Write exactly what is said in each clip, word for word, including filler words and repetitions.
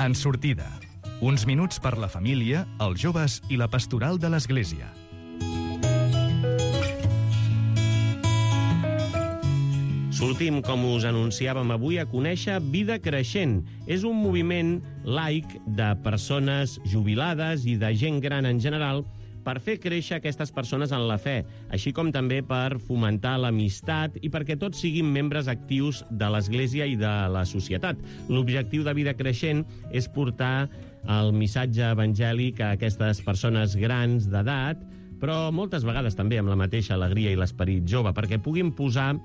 En sortida, uns minuts per la família, els joves i la pastoral de l'Església. Sortim, com us anunciàvem avui, a conèixer Vida Creixent. És un moviment laic de persones jubilades i de gent gran en general per fer créixer aquestes persones en la fe, així com també per fomentar l'amistat i perquè tots siguin membres actius de l'Església i de la societat. L'objectiu de Vida Creixent és portar el missatge evangèlic a aquestes persones grans d'edat, però moltes vegades també amb la mateixa alegria i l'esperit jove, perquè puguin posar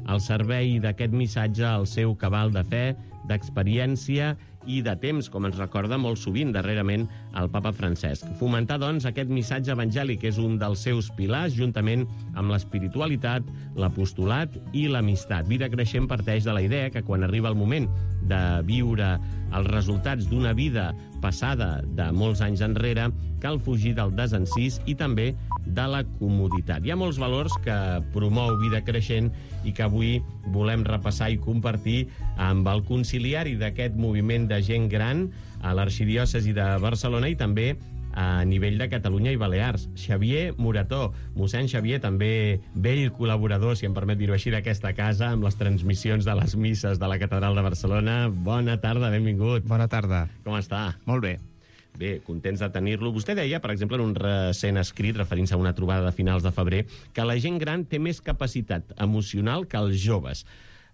al servei d'aquest missatge el seu cabal de fe, d'experiència i de temps, com ens recorda molt sovint darrerament el papa Francesc. Fomentar, doncs, aquest missatge evangèlic és un dels seus pilars, juntament amb l'espiritualitat, l'apostolat i l'amistat. Vida Creixent parteix de la idea que quan arriba el moment de viure els resultats d'una vida passada de molts anys enrere, cal fugir del desencís i també de la comoditat. Hi ha molts valors que promou Vida Creixent i que avui volem repassar i compartir amb el conciliari d'aquest moviment de gent gran a l'Arxidiòcesi de Barcelona i també a nivell de Catalunya i Balears. Xavier Morató, mossèn Xavier, també vell col·laborador, si em permet dir-ho així, d'aquesta casa, amb les transmissions de les misses de la Catedral de Barcelona. Bona tarda, benvingut. Bona tarda. Com està? Molt bé. Bé, contents de tenir-lo. Vostè deia, per exemple, en un recent escrit, referint-se a una trobada de finals de febrer, que la gent gran té més capacitat emocional que els joves.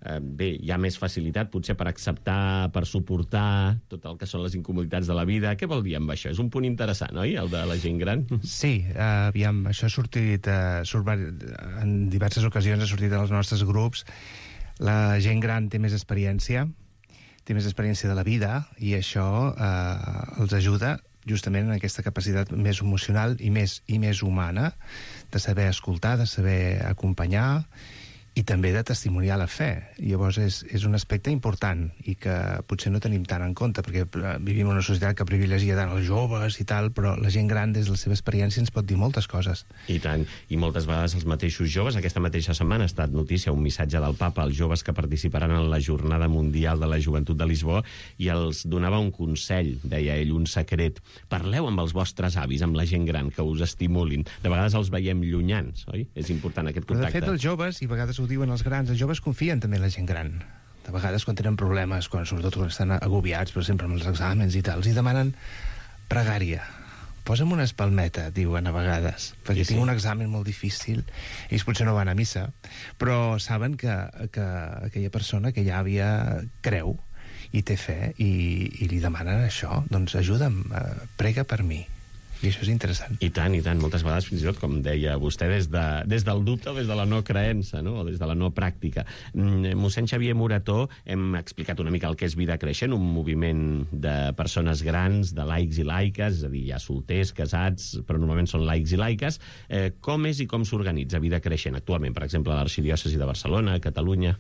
Eh, bé, hi ha més facilitat, potser, per acceptar, per suportar tot el que són les incomoditats de la vida. Què vol dir amb això? És un punt interessant, oi?, el de la gent gran. Sí, eh, aviam, això ha sortit, eh, surt, en diverses ocasions ha sortit en els nostres grups. La gent gran té més experiència, té més experiència de la vida i això eh, els ajuda justament en aquesta capacitat més emocional i més, i més humana de saber escoltar, de saber acompanyar i també de testimoniar la fe. Llavors és, és un aspecte important i que potser no tenim tant en compte, perquè vivim en una societat que privilegia tant els joves i tal, però la gent gran des de la seva experiència ens pot dir moltes coses. I tant, i moltes vegades els mateixos joves. Aquesta mateixa setmana ha estat notícia un missatge del papa als joves que participaran en la Jornada Mundial de la Joventut de Lisboa i els donava un consell, deia ell, un secret. Parleu amb els vostres avis, amb la gent gran, que us estimulin. De vegades els veiem llunyans, oi? És important aquest contacte. Però de fet els joves, i a vegades ho diuen els grans, els joves confien també en la gent gran. De vegades quan tenen problemes, quan sobretot quan estan agobiats, per exemple amb els exàmens i tal, els hi demanen pregària. Posa'm una espalmeta, diuen a vegades, perquè sí, sí. tinc un examen molt difícil. Ells potser no van a missa, però saben que, que aquella persona, aquella àvia, creu i té fe i, i li demanen això. Doncs ajuda'm, eh, prega per mi. I això és interessant. I tant, i tant. Moltes vegades, fins i tot, com deia vostè, des, de, des del dubte o des de la no creença, no? O des de la no pràctica. Mm, mossèn Xavier Morató, hem explicat una mica el que és Vida Creixent, un moviment de persones grans, de laics i laiques, és a dir, hi ha solters, casats, però normalment són laics i laiques. Eh, com és i com s'organitza Vida Creixent actualment, per exemple, a l'Arxidiòcesi de Barcelona, a Catalunya?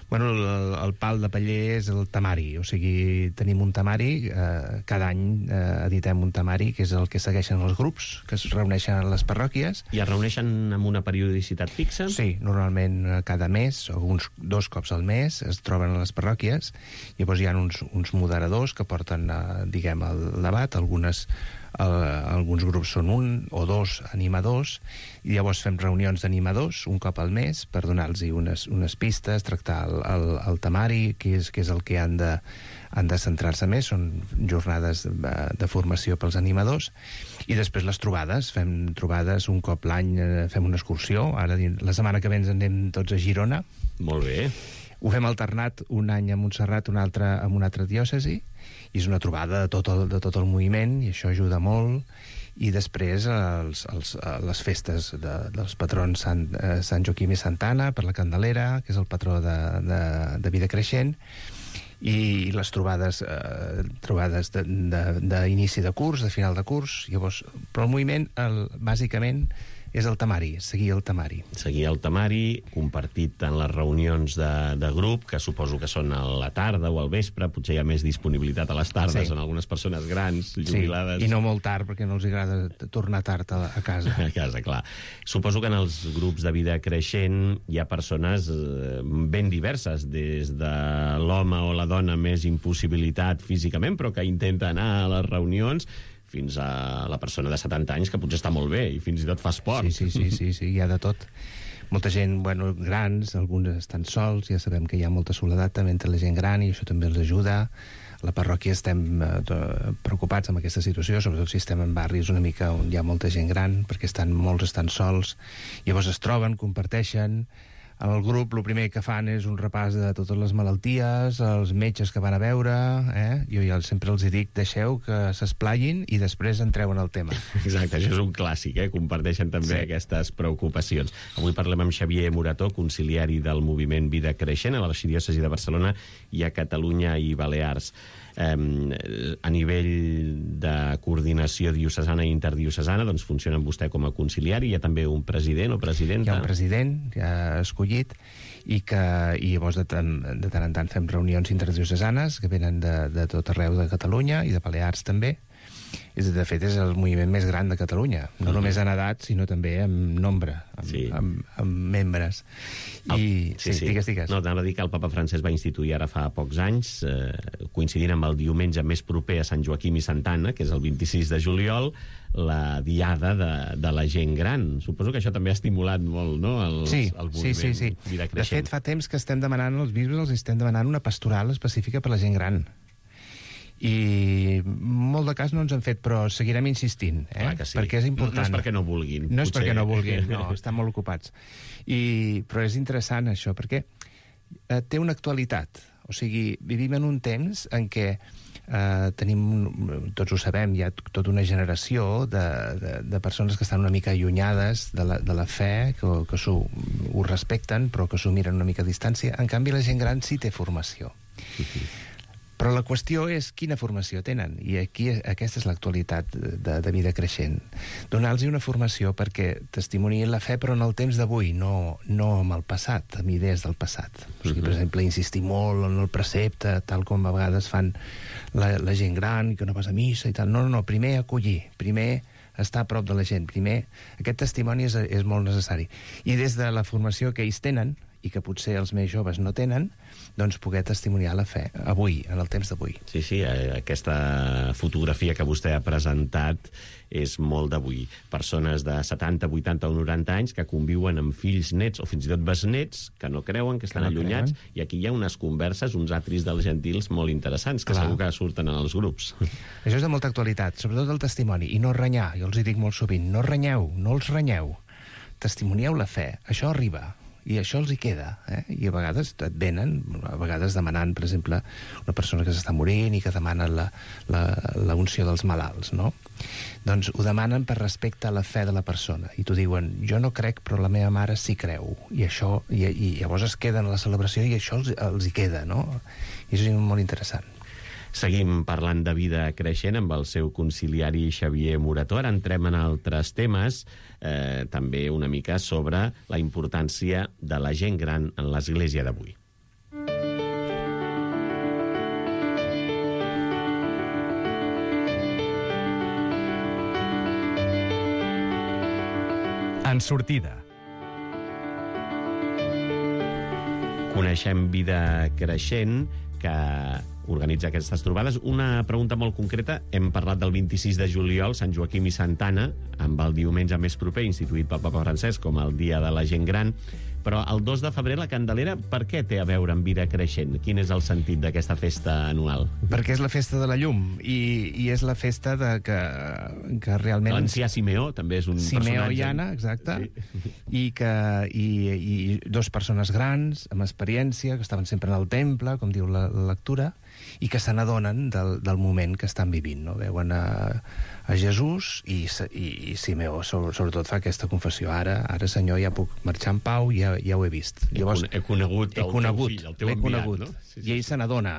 Bueno, el, el pal de paller és el temari, o sigui, tenim un temari, eh, cada any eh, editem un temari, que és el que segueixen els grups, que es reuneixen a les parròquies. I es reuneixen amb una periodicitat fixa? Sí, normalment cada mes, o uns dos cops al mes, es troben a les parròquies, llavors hi ha uns, uns moderadors que porten, eh, diguem, el debat, algunes... El, alguns grups són un o dos animadors i llavors fem reunions d'animadors un cop al mes per donar-los unes, unes pistes, tractar el, el, el temari, que és, que és el que han de, han de centrar-se més. Són jornades de, de formació pels animadors i després les trobades, fem trobades un cop l'any, fem una excursió. Ara la setmana que ve ens anem tots a Girona. Molt bé. Ho fem alternat, un any a Montserrat, un altre amb una altra diòcesi, i és una trobada de tot el, de tot el moviment, i això ajuda molt. I després els, els, les festes de, dels patrons Sant, eh, Sant Joaquim i Santa Anna per la Candelera, que és el patró de, de, de Vida Creixent, i les trobades eh, trobades d'inici de, de, de curs, de final de curs. Llavors, però el moviment el, bàsicament és el temari, seguir el temari. Seguir el temari, compartit en les reunions de, de grup, que suposo que són a la tarda o al vespre, potser hi ha més disponibilitat a les tardes, sí. En algunes persones grans, jubilades... Sí, i no molt tard, perquè no els agrada tornar tard a, a casa. A casa, clar. Suposo que en els grups de vida creixent hi ha persones eh, ben diverses, des de l'home o la dona més impossibilitat físicament, però que intenta anar a les reunions, fins a la persona de setanta anys que potser està molt bé i fins i tot fa esport. Sí, sí, sí, sí, sí, hi ha de tot. Molta gent, bueno, grans, alguns estan sols, ja sabem que hi ha molta soledat també entre la gent gran i això també els ajuda. A la parròquia estem eh, preocupats amb aquesta situació, sobretot si estem en barris una mica on hi ha molta gent gran, perquè estan, molts estan sols, llavors es troben, comparteixen. En el grup el primer que fan és un repàs de totes les malalties, els metges que van a veure, eh? Jo ja sempre els dic, deixeu que s'esplayin i després entreu en el tema. Exacte, això és un clàssic, eh? Comparteixen també sí. Aquestes preocupacions. Avui parlem amb Xavier Morató, conciliari del moviment Vida Creixent a l'Arxidiòcesi de Barcelona i a Catalunya i Balears. Eh, a nivell de coordinació diocesana i interdiocesana, doncs funciona amb vostè com a conciliari, hi ha també un president o presidenta? Hi ha un president ja escollit i que i llavors de tant, de tant en tant fem reunions interdiocesanes que venen de, de tot arreu de Catalunya i de Balears també. És, de fet, és el moviment més gran de Catalunya, no uh-huh. només en edat, sinó també en nombre, amb, sí. amb, amb membres. I, el, sí, sí, sí. digues, digues. No, t'anava a dir que el papa Francesc va instituir ara fa pocs anys, eh, coincidint amb el diumenge més proper a Sant Joaquim i Santa Anna, que és el vint-i-sis de juliol, la diada de, de la gent gran. Suposo que això també ha estimulat molt, no?, el, sí, el moviment sí, sí, sí. Vida Creixent. De fet, fa temps que estem demanant, els bisbes els estem demanant una pastoral específica per la gent gran. I molt de cas no ens han fet, però seguirem insistint, eh? Sí. Perquè és important. No, no és perquè no vulguin. No és potser. perquè no vulguin, no, estan molt ocupats. I, però és interessant això, perquè eh, té una actualitat. O sigui, vivim en un temps en què eh, tenim, tots ho sabem, hi ha tota una generació de, de, de persones que estan una mica allunyades de la, de la fe, que, que ho, ho respecten, però que s'ho miren una mica a distància. En canvi, la gent gran sí té formació. Uh-huh. Però la qüestió és quina formació tenen, i aquí aquesta és l'actualitat de, de Vida Creixent. Donar-los una formació perquè testimoniïn la fe, però en el temps d'avui, no, no amb el passat, amb idees del passat. O sigui, per exemple, insistir molt en el precepte, tal com a vegades fan la, la gent gran, que no vas a missa i tal. No, no, no, primer acollir, primer estar a prop de la gent, primer aquest testimoni és, és molt necessari. I des de la formació que ells tenen, i que potser els més joves no tenen, doncs poder testimoniar la fe avui, en el temps d'avui. Sí, sí, aquesta fotografia que vostè ha presentat és molt d'avui. Persones de setanta, vuitanta o noranta anys que conviuen amb fills, nets o fins i tot besnets que no creuen, que estan que no allunyats, creuen. I aquí hi ha unes converses, uns atris dels gentils molt interessants, que Clar. Segur que surten en els grups. Això és de molta actualitat, sobretot el testimoni. I no renyar, jo els hi dic molt sovint, no renyeu, no els renyeu. Testimonieu la fe, això arriba. I això els hi queda, eh? I a vegades et venen, a vegades demanant, per exemple, una persona que s'està morint i que demana la, la, la unció dels malalts, no? Doncs ho demanen per respecte a la fe de la persona. I t'ho diuen, jo no crec, però la meva mare sí creu. I això, i, i llavors es queden a la celebració i això els, els hi queda, no? I això és molt interessant. Seguim parlant de Vida Creixent amb el seu conciliari Xavier Morató. Ara entrem en altres temes, eh, també una mica sobre la importància de la gent gran en l'Església d'avui. En sortida. Coneixem Vida Creixent, que organitza aquestes trobades. Una pregunta molt concreta. Hem parlat del vint-i-sis de juliol, Sant Joaquim i Santa Anna, amb el diumenge més proper, instituït pel Papa Francesc com el Dia de la Gent Gran. Però el dos de febrer, la Candelera, per què té a veure amb Vida Creixent? Quin és el sentit d'aquesta festa anual? Perquè és la festa de la llum, i, i és la festa de que, que realment... L'ancià Simeó també és un Simeó personatge... Simeó i Anna, exacte, sí. I, que, i, i dos persones grans, amb experiència, que estaven sempre en el temple, com diu la, la lectura, i que se n'adonen del, del moment que estan vivint, no? Veuen a, a Jesús i, i, i Simeó sobretot fa aquesta confessió. Ara, ara Senyor, ja puc marxar en pau, ja, ja ho he vist. Llavors, he conegut el he conegut, teu fill, el teu enviat, conegut, no? Sí, sí, I ell sí. se n'adona,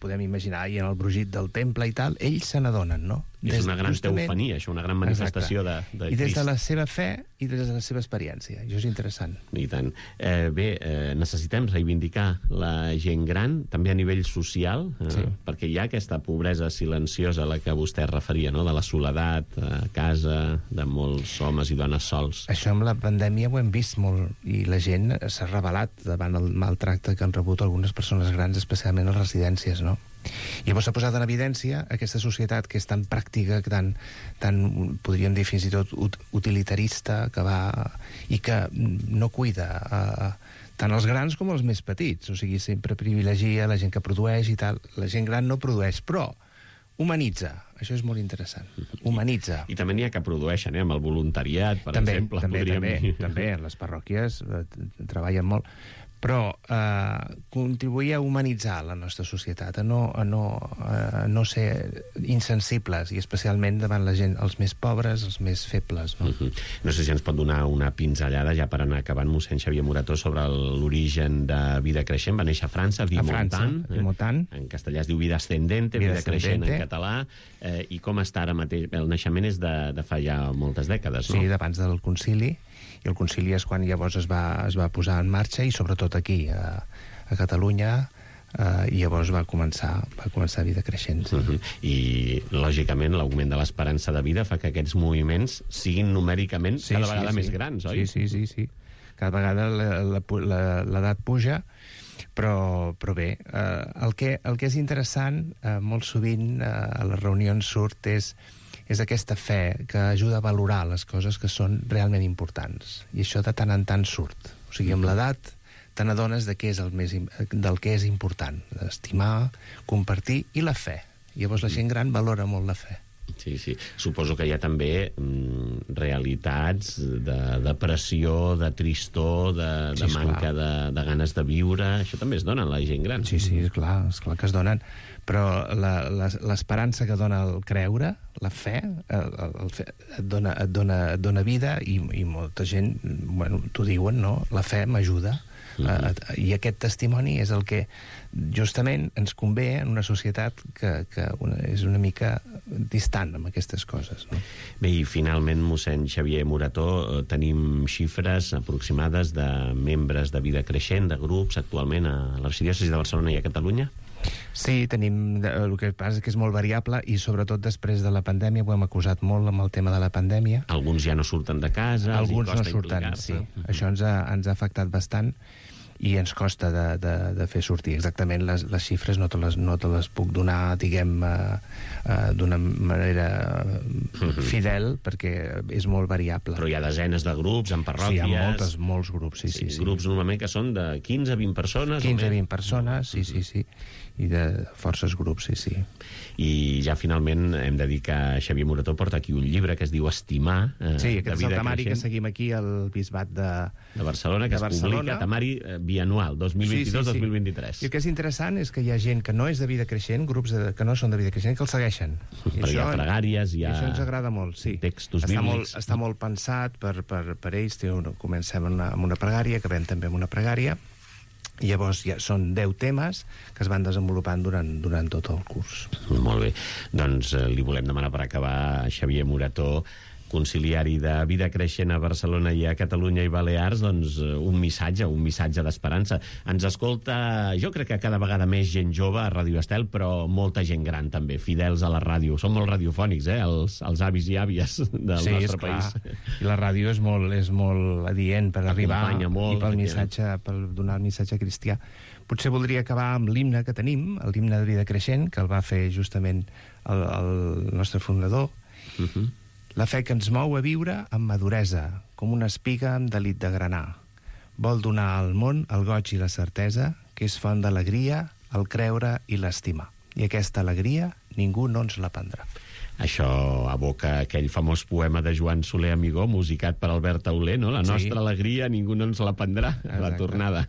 podem imaginar, i en el brogit del temple i tal, ells se n'adonen, no? I és una gran teofania, això, una gran manifestació de, de I des Crist. de la seva fe i des de la seva experiència. Això és interessant. I tant. Eh, bé, eh, necessitem reivindicar la gent gran, també a nivell social, eh, sí. perquè hi ha aquesta pobresa silenciosa a la que vostè es referia, no? De la soledat a casa, de molts homes i dones sols. Això amb la pandèmia ho hem vist molt, i la gent s'ha rebel·lat davant el maltracte que han rebut algunes persones grans, especialment a les residències, no? I llavors s'ha posat en evidència aquesta societat que és tan pràctica, tan, tan podríem dir fins i tot ut utilitarista, que va i que no cuida eh, tant els grans com els més petits. O sigui, sempre privilegia la gent que produeix i tal. La gent gran no produeix, però humanitza. Això és molt interessant. Humanitza. I, i també n'hi ha que produeixen, eh, amb el voluntariat, per també, exemple. També, també, dir. també. Les parròquies eh, treballen molt. Però eh, contribuir a humanitzar la nostra societat, a no, a, no, a no ser insensibles, i especialment davant la gent, els més pobres, els més febles. No, uh -huh. No sé si ens pot donar una pinzellada, ja per anar acabant, mossèn Xavier Morató, sobre l'origen de Vida Creixent. Va néixer a França, a Vimontán. A Vimontán. Eh? En castellà es diu Vida Ascendente, Vida, Vida Creixent en català. Eh, I com està ara mateix? El naixement és de, de fa ja moltes dècades, no? Sí, d'abans del concili. I el concili és quan llavors es va, es va posar en marxa, i sobretot aquí, a, a Catalunya, eh, i llavors va començar, va començar Vida Creixent. Sí. Uh -huh. I, lògicament, l'augment de l'esperança de vida fa que aquests moviments siguin numèricament sí, cada vegada sí, més sí. grans, oi? Sí, sí, sí, sí. Cada vegada l'edat puja, però, però bé, eh, el, que, el que és interessant, eh, molt sovint, eh, a les reunions surt, és és aquesta fe que ajuda a valorar les coses que són realment importants. I això de tant en tant surt. O sigui, amb l'edat te n'adones de què és el més, del que és important. Estimar, compartir i la fe. Llavors la gent gran valora molt la fe. Sí, sí. Suposo que hi ha també mm, realitats de depressió, de tristor, de, de sí, manca de, de ganes de viure. Això també es dona a la gent gran. Sí, sí, és clar, és clar que es donen. Però l'esperança que dona el creure, la fe, el, el fe et, dona, et, dona, et dona vida, i, i molta gent, bueno, t'ho diuen, no? La fe m'ajuda. Uh-huh. I aquest testimoni és el que justament ens convé en una societat que, que una, és una mica distant amb aquestes coses, no? Bé, i finalment, mossèn Xavier Morató, tenim xifres aproximades de membres de Vida Creixent, de grups, actualment a l'arxidiòcesi de Barcelona i a Catalunya? Sí, tenim, el que passa és que és molt variable, i sobretot després de la pandèmia ho hem acusat molt amb el tema de la pandèmia. Alguns ja no surten de casa, alguns no surten, sí. Uh-huh. Això ens ha, ens ha afectat bastant, i ens costa de, de, de fer sortir. Exactament les, les xifres no te les, no te les puc donar, diguem, uh, uh, d'una manera uh-huh. fidel, perquè és molt variable. Però hi ha desenes de grups, en parròquies... Sí, hi ha moltes, molts grups, sí, sí. sí, sí. Grups normalment que són de quinze a vint persones. quinze a vint persones, sí, sí, sí. I de forces grups, sí, sí. I ja finalment hem de dir que Xavier Morató porta aquí un llibre que es diu Estimar, eh, sí, aquest de Vida és el temari Creixent, que seguim aquí al Bisbat de, de Barcelona, que de es Barcelona. publica, temari eh, bianual, dos mil vint-i-dos dos mil vint-i-tres. Sí, sí, sí. I el que és interessant és que hi ha gent que no és de Vida Creixent, grups de, que no són de Vida Creixent, que el segueixen. I Perquè això, hi ha pregàries, hi ha... I això ens agrada molt, sí. Textos està bíblics. Molt, està molt pensat per, per, per ells. Una, comencem amb una, amb una pregària, acabem també amb una pregària, i llavors ja són deu temes que es van desenvolupant durant, durant tot el curs. Molt bé. Doncs eh, li volem demanar per acabar, Xavier Morató, conciliari de Vida Creixent a Barcelona i a Catalunya i Balears, doncs un missatge, un missatge d'esperança. Ens escolta, jo crec que cada vegada més gent jove a Ràdio Estel, però molta gent gran també, fidels a la ràdio. Són molt radiofònics, eh, els, els avis i àvies del sí, nostre país. Sí, I la ràdio és molt, és molt adient per arribar molt, i pel missatge, per donar el missatge cristià. Potser voldria acabar amb l'himne que tenim, l'himne de Vida Creixent, que el va fer justament el, el nostre fundador. Uh-huh. La fe que ens mou a viure amb maduresa, com una espiga amb delit de granar. Vol donar al món el goig i la certesa, que és font d'alegria, el creure i l'estimar. I aquesta alegria ningú no ens la prendrà. Això aboca aquell famós poema de Joan Soler Amigó, musicat per Albert Auler, no? La nostra sí. alegria ningú no ens la prendrà, a la tornada.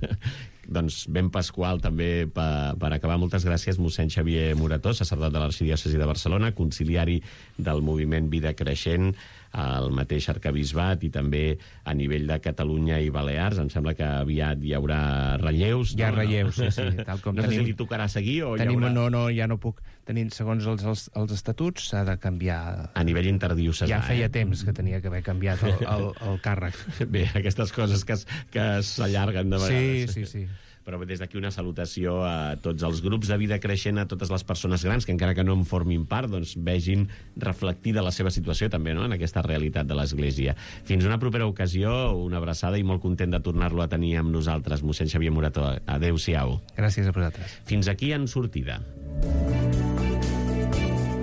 Doncs ben pasqual també per, per acabar. Moltes gràcies, mossèn Xavier Morató, sacerdot de l'Arxidiòcesi de Barcelona, conciliari del moviment Vida Creixent al mateix arquebisbat i també a nivell de Catalunya i Balears. Em sembla que aviat hi haurà relleus. Hi ha no? relleus, sí, sí. Tal com no tenim, sé si li tocarà seguir o tenim, hi haurà... No, no, ja no puc. Tenim, segons els, els, els estatuts, s'ha de canviar... A nivell interdiocesà. Ja feia eh? temps que tenia que haver canviat el, el, el càrrec. Bé, aquestes coses que, es, que s'allarguen de vegades. Sí, sí, sí. Però des d'aquí una salutació a tots els grups de vida creixent, a totes les persones grans que encara que no en formin part, doncs vegin reflectida la seva situació també, no?, en aquesta realitat de l'Església. Fins una propera ocasió, una abraçada i molt content de tornar-lo a tenir amb nosaltres, mossèn Xavier Morató. Adéu-siau. Gràcies a vosaltres. Fins aquí En Sortida.